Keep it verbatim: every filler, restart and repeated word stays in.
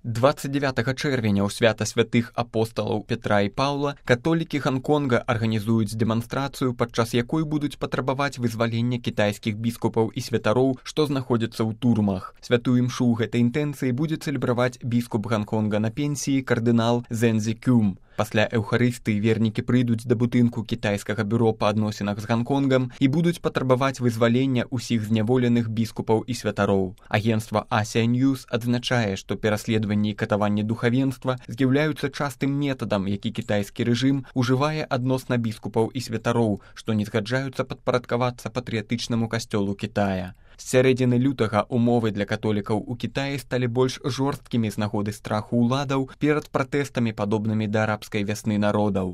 двадцать девятага чэрвеня ў свята святых апосталаў Петра і Паўла католікі Ганконга арганізуюць дэманстрацыю, падчас якой будуць патрабаваць вызвалення кітайскіх біскупаў і святароў, што знаходзяцца ў турмах. Святую імшу ў гэтай інтэнцыі будзе цэлебраваць біскуп Ганконга на пенсіі кардынал Зэнзі Кюм. Пасля эўхарыстыі вернікі прыйдуць да будынку кітайскага бюро па адносінах з Ганконгам і будуць патрабаваць вызвалення ўсіх зняволеных біскупаў і святароў. Агенцтва Asia News адзначае, што пераследаванні і катаванні духавенства з'яўляюцца частым метадам, які кітайскі рэжым ужывае адносна біскупаў і святароў, што не згаджаюцца падпарадкавацца патрыятычнаму касцёлу Кітая. З сярэдзіны лютага умовы для католікаў у Кітаі сталі больш жорсткімі з нагоды страху ўладаў перад пратэстамі, падобнымі да арабскай вясны народаў.